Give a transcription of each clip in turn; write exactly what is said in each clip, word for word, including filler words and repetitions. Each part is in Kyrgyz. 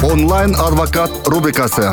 Онлайн адвокат рубрикасы.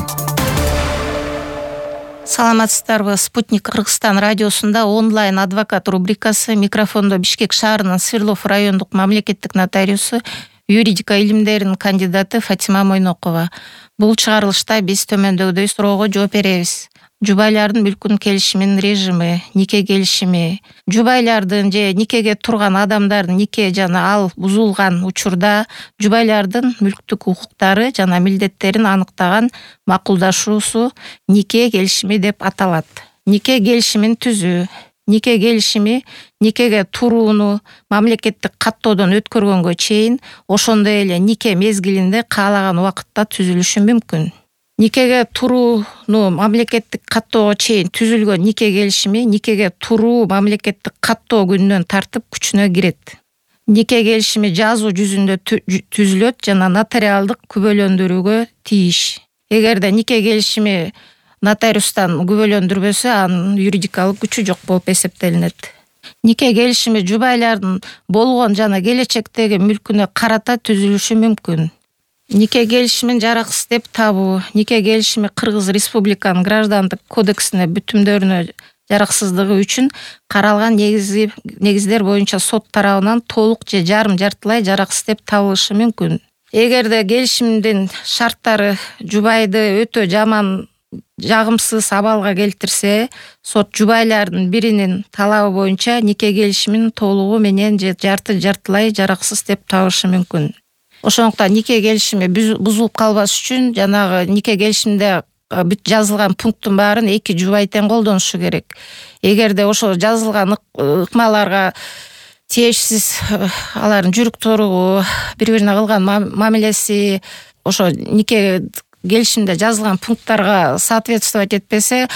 Саламатсыздарбы? Спутник Кыргызстан радиосунда онлайн адвокат рубрикасы. Микрофондо Бишкек шаарынын Свердлов райондук мамлекеттик нотариусу, юридика илимдеринин кандидаты Фатима Мойнокова. Бул чыгарылышта биз төмөндөгүдөй суроого жооп беребиз. Жубайлардын мүлкүн келишиминин режими, нике келишими, жубайлардын же никеге турган адамдардын нике жана ал бузулган учурда жубайлардын мүлктүк укуктары жана милдеттерин аныктаган макулдашуусу нике келишими деп аталат. Нике келишимин түзүү. Нике келишими никеге турууну мамлекеттик каттоодон өткөргөнгө чейин, ошондой эле нике мезгилинде каалаган убакытта түзүлүшү мүмкүн. Никеге турууну мамлекеттик каттоого чейин түзүлгөн нике келишими никеге туруу мамлекеттик каттоо күнүнөн тартып күчүнө кирет. Нике келишими жазуу жүзүндө түзүлөт жана нотариалдык күбөлөндүрүүгө тийиш. Эгерде нике келишими нотариустан күбөлөндүрбөсө, анын юридикалык күчү жок болуп эсептелинет. Нике келишими жубайлардын болгон жана келечектеги мүлкүнө карата түзүлүшү мүмкүн. Нике келишимин жараксыз деп табуу. Нике келишими Кыргыз Республиканын граждандык кодексине бүтүмдөрүнө жараксыздыгы үчүн каралган негизи негиздер боюнча сот тарабынан толук же жарым жартылай жараксыз деп табылышы мүмкүн. Эгерде келишимдин шарттары жубайды өтө жаман, жагымсыз абалга келтирсе, сот жубайлардын биринин талабы боюнча нике келишимин толугу менен же жарты жартылай жараксыз деп табышы мүмкүн. Ошондуктан нике келишими бузулуп калбаш үчүн жанагы нике келишимде бүт жазылган пункттун баарын эки жубай тең колдонушу керек. Эгерде ошо жазылган ыкмаларга тиешсиз алардын жүрүк туругу, бири-бирине кылган мамилеси ошо нике келишимде жазылган пункттарга соответствовать этпесе,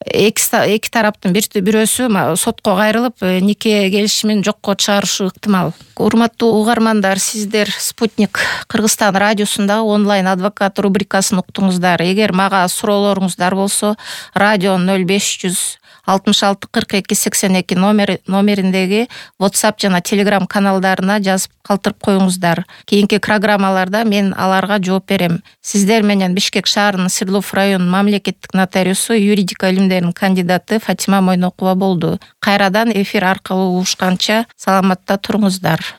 эки тараптын бирөөсү сотко кайрылып, нике келишимин жокко чыгарышы ыктымал. Урматтуу угармандар, сиздер Спутник Кыргызстан радиосунда онлайн адвокат рубрикасын уктуңуздар. Эгер мага суроолоруңуздар болсо, радио ноль беш жүз алтымыш алты кырк эки сексен эки номериндеги WhatsApp жана Telegram каналдарына жазып калтырып коюңуздар. Кийинки программаларда мен аларга жооп берем. Сиздер менен Бишкек шаарынын Свердлов районунун мамлекеттик нотариусу, юридика илимдеринин кандидаты Фатима Мойнокова болду. Кайрадан эфир аркылуу угушканча саламатта туруңуздар.